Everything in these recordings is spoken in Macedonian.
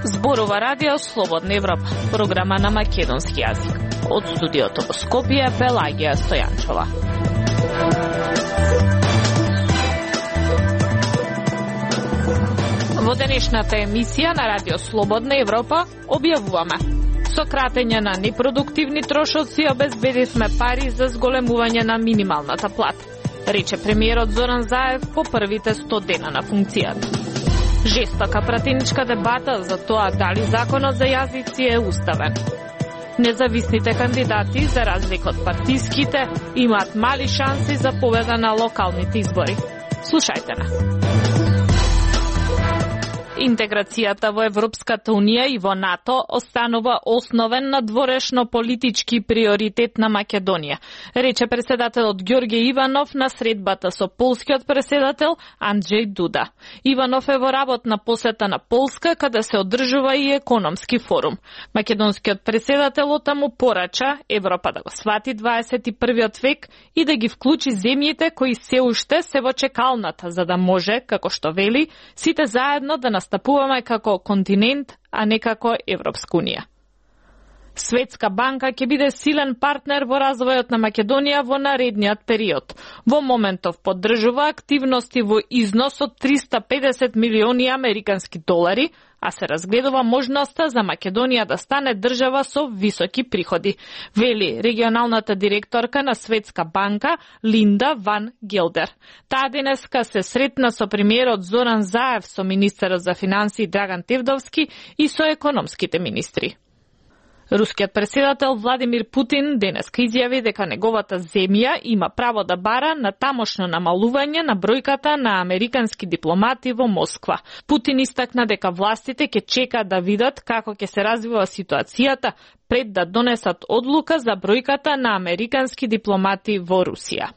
Зборува Радио Слободна Европа, програма на македонски јазик. Од студиото во Скопје, Пелагија Стојанчова. Во денешната емисија на Радио Слободна Европа објавуваме: со кратење на непродуктивни трошоци обезбедивме пари за зголемување на минималната плата, рече премиерот Зоран Заев по првите 100 дена на функцијата. Жестока пратеничка дебата за тоа дали законот за јазици е уставен. Независните кандидати, за разлика од партиските, имаат мали шанси за победа на локалните избори. Слушајте на. Интеграцијата во Европската Унија и во НАТО останува основен надворешно политички приоритет на Македонија, рече преседателот Ѓорѓе Иванов на средбата со полскиот преседател Анџеј Дуда. Иванов е во работна посета на Полска, каде се одржува и економски форум. Македонскиот преседател отаму порача Европа да го свати 21 век и да ги вклучи земјите кои се уште се во чекалната, за да може, како што вели, сите заедно да настапуваме како континент, а не како Европска Унија. Светска банка ќе биде силен партнер во развојот на Македонија во наредниот период. Во моментов поддржува активности во износ од 350 милиони американски долари, а се разгледува можноста за Македонија да стане држава со високи приходи, вели регионалната директорка на Светска банка Линда Ван Гелдер. Таа денеска се сретна со премиерот Зоран Заев, со министерот за финансии Драган Тевдовски и со економските министри. Рускиот преседател Владимир Путин денеска изјави дека неговата земја има право да бара на тамошно намалување на бројката на американски дипломати во Москва. Путин истакна дека властите ќе чекаат да видат како ќе се развива ситуацијата пред да донесат одлука за бројката на американски дипломати во Русија.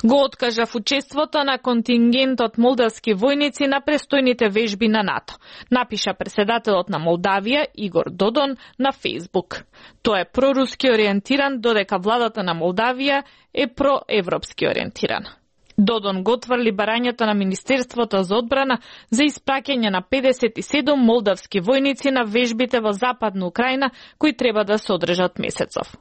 Го откажав учеството на контингентот молдавски војници на престојните вежби на НАТО, напиша преседателот на Молдавија Игор Додон на Фејсбук. Тој е проруски ориентиран, додека владата на Молдавија е проевропски ориентиран. Додон го отврли барањето на Министерството за одбрана за испраќање на 57 молдавски војници на вежбите во Западна Украина, кои треба да се одржат месецов.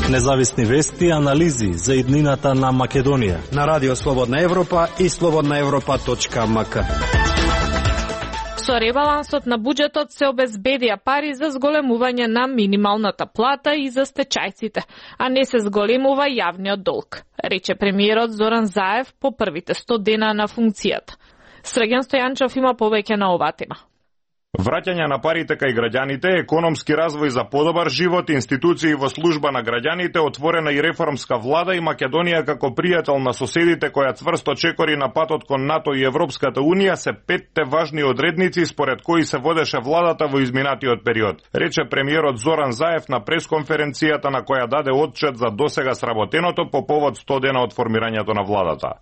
Независни вести и анализи за иднината на Македонија на Радио Слободна Европа и slobodnaevropa.mk. Со ребалансот на буџетот се обезбедија пари за зголемување на минималната плата и за стечајците, а не се зголемува јавниот долг, рече премиерот Зоран Заев по првите 100 дена на функцијата. Срđan Стојанчов има повеќе на оваа тема. Враќање на парите кај граѓаните, економски развој за подобар живот, институции во служба на граѓаните, отворена и реформска влада и Македонија како пријател на соседите која цврсто чекори на патот кон НАТО и Европската Унија се 5 важни одредници според кои се водеше владата во изминатиот период, рече премиерот Зоран Заев на пресконференцијата на која даде отчет за досега сработеното по повод 100 дена од формирањето на владата.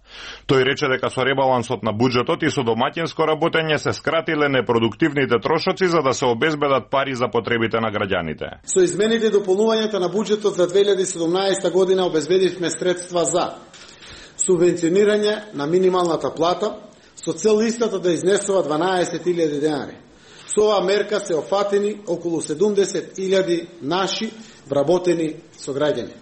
Тој рече дека со ребалансот на буџетот и со домаќинско работење се скратиле непродуктивните трошоци за да се обезбедат пари за потребите на граѓаните. Со измените и дополнувањето на буџетот за 2017 година обезбедивме средства за субвенционирање на минималната плата со цел истата да изнесува 12.000 денари. Со оваа мерка се офатени околу 70.000 наши вработени сограѓани.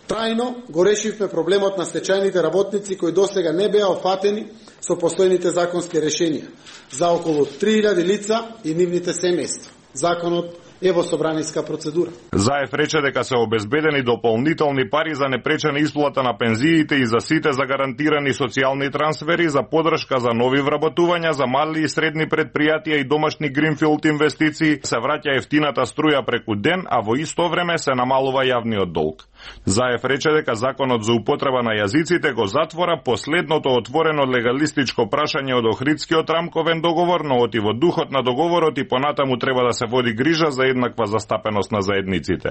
Трајно го решивме проблемот на стечајните работници кои досега не беа офатени со постојните законски решенија за околу 3.000 лица и нивните семејства. Законот е во собраниска процедура. Заев рече дека се обезбедени дополнителни пари за непречена исплата на пензиите и за сите за гарантирани социјални трансфери, за поддршка за нови вработувања, за мали и средни предпријатија и домашни гринфилд инвестиции, се враќа ефтината струја преку ден, а во исто време се намалува јавниот долг. Заев рече дека законот за употреба на јазиците го затвора последното отворено легалистичко прашање од Охридскиот рамковен договор, но оти во духот на договорот и понатаму треба да се води грижа за еднаква застапеност на заедниците.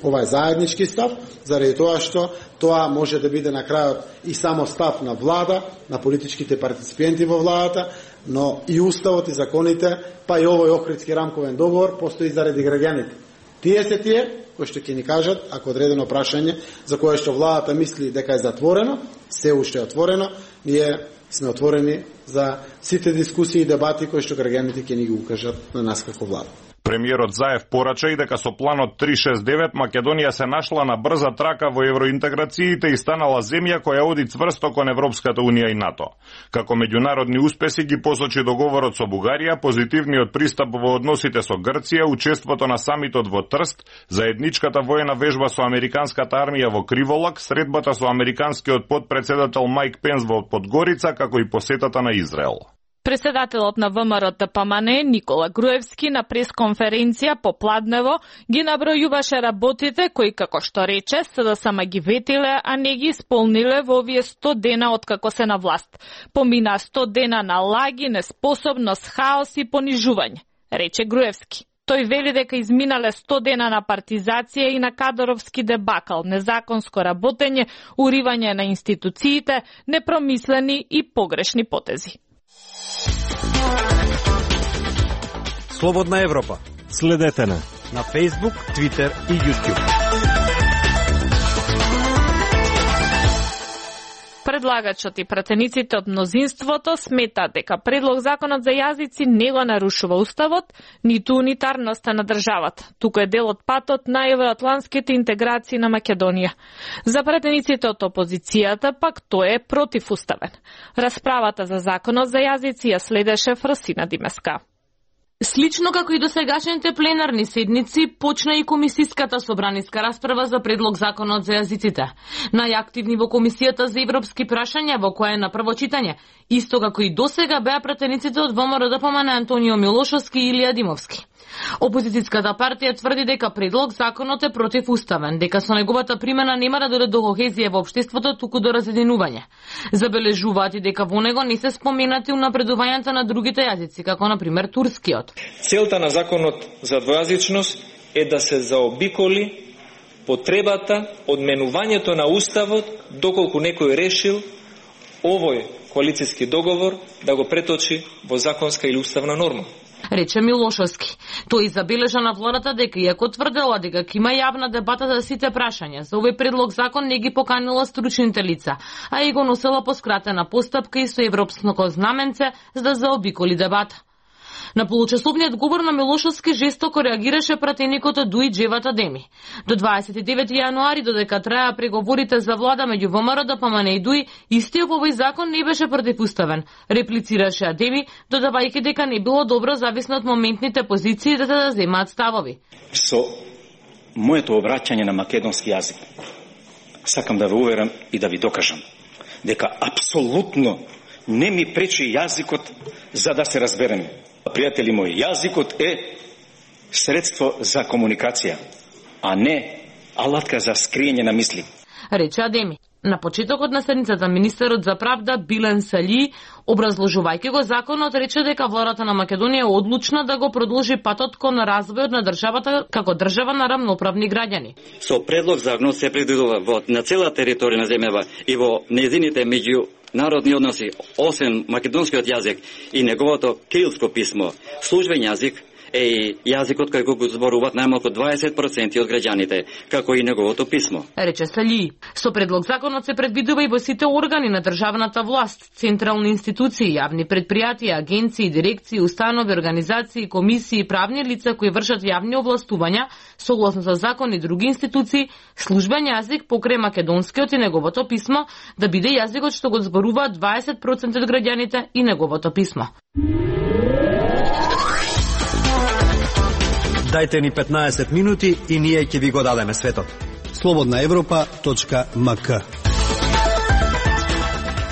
Ова е заеднички став, заради тоа што тоа може да биде на крајот и само став на влада, на политичките партиципенти во владата, но и уставот и законите, па и овој Охридски рамковен договор постои заради граѓаните. Тие се тие кои што ќе ни кажат ако одредено прашање за кое што владата мисли дека е затворено, се уште е отворено, ние сме отворени за сите дискусии и дебати кои што граѓаните ќе ни ги укажат на нас како влада. Премиерот Заев порача и дека со планот 369 Македонија се нашла на брза трака во евроинтеграциите и станала земја која оди цврсто кон Европската унија и НАТО. Како меѓународни успеси ги посочи договорот со Бугарија, позитивниот пристап во односите со Грција, учеството на самитот во Трст, заедничката воена вежба со американската армија во Криволак, средбата со американскиот подпредседател Майк Пенс во Подгорица, како и посетата на Израел. Председателот на ВМРО-ДПМН Никола Груевски на пресконференција попладнево ги набројуваше работите кои, како што рече, СДСМ ги ветиле, а не ги исполниле во овие 100 дена откако се на власт. Помина 100 дена на лаги, неспособност, хаос и понижување, рече Груевски. Тој вели дека изминале 100 дена на партизација и на кадровски дебакал, незаконско работење, уривање на институциите, непромислени и погрешни потези. Слободна Европа. Следете на Facebook, Twitter и YouTube. Предлагачот и пратениците од мнозинството сметаат дека предлог законот за јазици не го нарушува уставот, ниту унитарноста на државата. Туку е дел од патот на евроатлантските интеграции на Македонија. За пратениците од опозицијата пак тој е противуставен. Расправата за законот за јазици ја следеше Фросина Димеска. Слично како и досегашните пленарни седници, почна и комисиската собраниска расправа за предлог законот за јазиците. Најактивни во комисијата за европски прашања, во која е на прво читање, исто како и досега беа пратениците од ВМРО-ДПМН Антонио Милошовски и Илија Димовски. Опозицијската партија тврди дека предлог законот е противуставен, дека со неговата примена нема да дојде до кохезија во општеството, туку до разединување. Забележуваат и дека во него не се споменати унапредувањата на другите јазици, како на пример турскиот. Целта на законот за двојазичност е да се заобиколи потребата од менувањето на уставот доколку некој решил овој коалицијски договор да го преточи во законска или уставна норма. Рече Милошовски. Тој забележа на владата дека иако тврдела дека ќе има јавна дебата за сите прашања, за овој предлог закон не ги поканила стручните лица, а и го носела по скратена постапка и со европско знаменце за да заобиколи дебата. На получасовниот говор на Милошовски жестоко реагираше пратеникот од ДУИ Джевата Деми. До 29 јануари, додека траја преговорите за влада меѓу ВМРО-ДПМН и ДУИ, истиот овој закон не беше противуставен, реплицираше Адеми, додавајќи дека не било добро зависно од моментните позиции да земаат ставови. Со моето обраќање на македонски јазик, сакам да ве уверам и да ви докажам дека апсолутно не ми пречи јазикот за да се разбереме. Пријатели мои, јазикот е средство за комуникација, а не алатка за скриење на мисли. Рече Адеми. На почетокот на седницата министерот за правда Билен Сали, образложувајќи го законот, рече дека владата на Македонија е одлучна да го продолжи патот кон развојот на државата како држава на рамноправни граѓани. Со предлог законот се предвидува на цела територија на земјава и во нејзините меѓународни односи, освен македонскиот јазик и неговото кирилско писмо, службен јазик е и јазикот кој го зборуваат најмалку 20% од граѓаните, како и неговото писмо. Рече Сали. Со предлог законот се предвидува и во сите органи на државната власт, централни институции, јавни предпријатија, агенции, дирекции, установи, организации, комисии, правни лица кои вршат јавни овластувања, согласно со закон и други институции, службен јазик покрај македонскиот и неговото писмо да биде јазикот што го зборуваат 20% од граѓаните и неговото писмо. Дајте ни 15 минути и ние ќе ви го дадеме светот. slobodnaevropa.mk.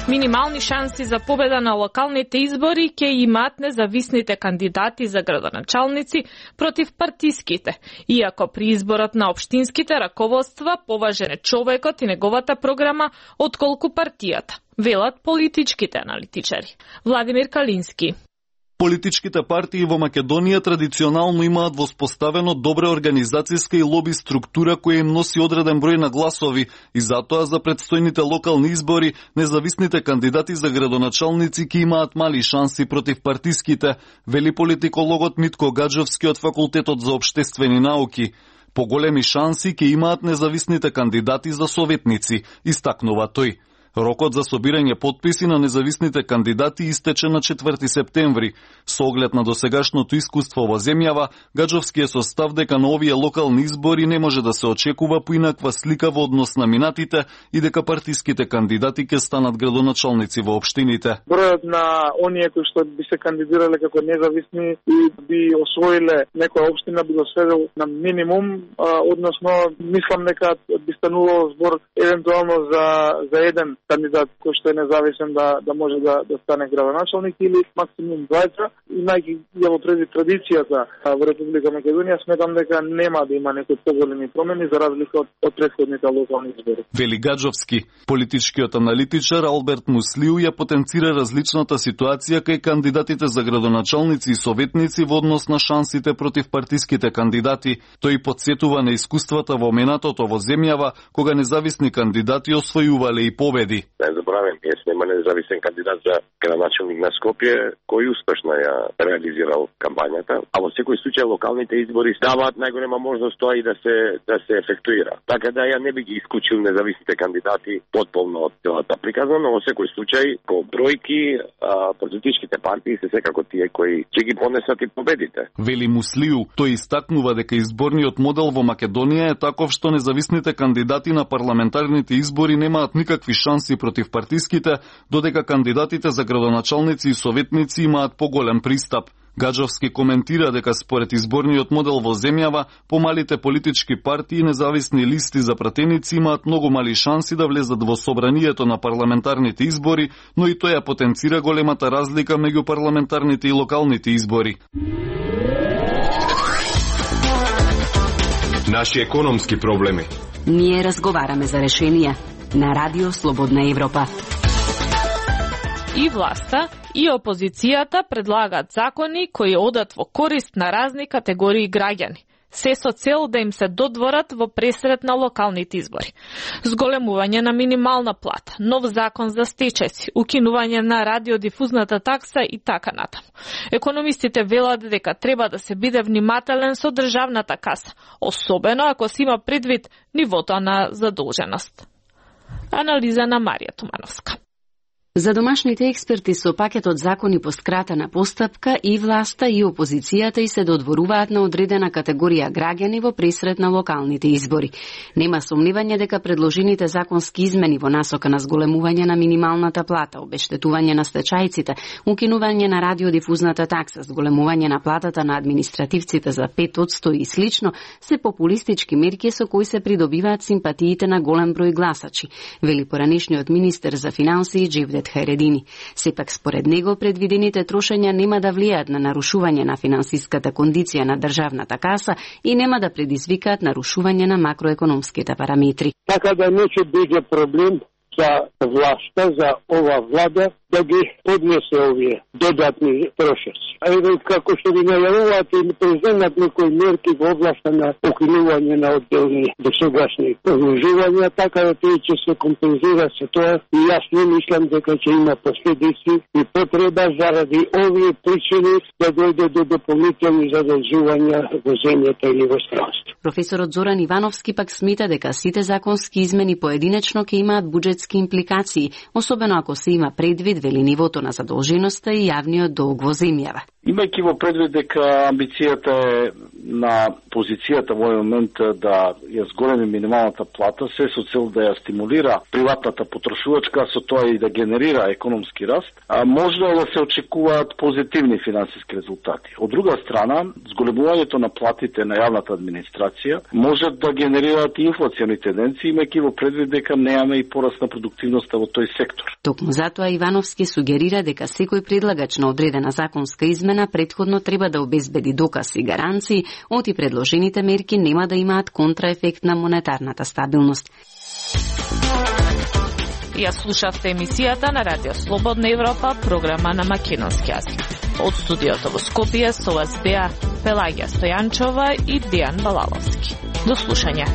Минимални шанси за победа на локалните избори ќе имаат независните кандидати за градоначалници против партиските, иако при изборот на општинските раководства поважен е човекот и неговата програма отколку партијата, велат политичките аналитичари. Владимир Калински. Политичките партии во Македонија традиционално имаат воспоставено добра организацијска и лоби структура која им носи одреден број на гласови и затоа за предстојните локални избори независните кандидати за градоначалници ќе имаат мали шанси против партиските, вели политикологот Митко Гаджовски од Факултетот за општествени науки. Поголеми шанси ќе имаат независните кандидати за советници, истакнува тој. Рокот за собирање потписи на независните кандидати истече на 4 септември. Со оглед на досегашното искуство во земјава, Гаджовски е со став дека на овие локални избори не може да се очекува поинаква слика во однос на минатите и дека партиските кандидати ќе станат градоначалници во општините. Бројот на оние кои што би се кандидирале како независни и би освоиле некоја општина би го сведел на минимум, односно мислам дека би станувало збор евентуално за еден кандидат кој што е независен да може да стане градоначалник или максимум двајца. Имајќи во предвид традицијата во Република Македонија, сметам дека нема да има некои поголеми промени за разлика од претходните локални избори. Вели Гаджовски. Политичкиот аналитичар Алберт Муслиу ја потенцира различната ситуација кај кандидатите за градоначалници и советници во однос на шансите против партиските кандидати. Тој потсетува на искуствата во минатото во земјава, кога независни кандидати освојувале и победи. Не забравим, нема независен кандидат за градоначалник на Скопје кој успешно ја реализирал кампањата, а во секој случај локалните избори даваат најголема можност тоа и да се ефектуира. Така да ја не би ги исклучил независните кандидати потполно од целата приказна, но во секој случај по бројки политичките партии се секако тие кои ќе ги понесат и победите. Вели Муслиу, тој истакнува дека изборниот модел во Македонија е таков што независните кандидати на парламентарните избори немаат никакви шанси против партиските, додека кандидатите за градоначалници и советници имаат поголем пристап. Гаджовски коментира дека според изборниот модел во земјава, помалите политички партии и независни листи за пратеници имаат многу мали шанси да влезат во собранието на парламентарните избори, но и тој ја потенцира големата разлика меѓу парламентарните и локалните избори. Наши економски проблеми. Ние разговараме за решенија на Радио Слободна Европа. И власта, и опозицијата предлагаат закони кои одат во корист на разни категории граѓани, се со цел да им се додворат во пресрет на локалните избори. Зголемување на минимална плата, нов закон за стечајци, укинување на радиодифузната такса и така натаму. Економистите велат дека треба да се биде внимателен со државната каса, особено ако се има предвид нивото на задолженост. Анализа на Марија Тумановска. За домашните експерти со пакетот закони по скратена постапка и власта и опозицијата и се додворуваат на одредена категорија граѓани во пресрет на локалните избори. Нема сомневање дека предложените законски измени во насока на зголемување на минималната плата, обештетување на стечајците, укинување на радиодифузната такса, зголемување на платата на административците за 5% и слично, се популистички мерки со кои се придобиваат симпатиите на голем број гласачи, вели поранешниот министер за финансии Джевдет Хајредини. Сепак според него предвидените трошења нема да влијаат на нарушување на финансиската кондиција на државната каса и нема да предизвикаат нарушување на макроекономските параметри. Така да не ќе биде проблем за власта, за ова влада да ги поднесе овие додатни трошоци. А еве како што ги најавуваат и преземат некои мерки во областа на укинување на одделни досегашни продолжувања, така да тој ќе се компензира со тоа и јас не мислам дека ќе има последици и потреба заради овие причини да дојде до дополнителни задолжувања во земјата или во странство. Професорот Зоран Ивановски пак смета дека сите законски измени поединечно ќе имаат буџетски импликации, особено ако се има предвид вели нивото на задолженоста и јавниот долг во земјава. Имајќи во предвид дека амбицијата е на позицијата во овој момент да ја зголеми минималната плата, се со цел да ја стимулира приватната потрошувачка, со тоа и да генерира економски раст, може да се очекуваат позитивни финансиски резултати. Од друга страна, зголемувањето на платите на јавната администрација може да генерираат и инфлациони тенденции, имајќи во предвид дека немаме и пораст на продуктивноста во тој сектор. Токму затоа Ивановски сугерира дека секој предлагач на одредена законска измена претходно треба да обезбеди доказ и гаранции, оти предложените мерки нема да имаат контраефект на монетарната стабилност. Ја слушавте емисијата на Радио Слободна Европа, програма на македонски јазик. Од студиото во Скопје со вас беа Пелагија Стојанчова и Дејан Балаловски. До слушање.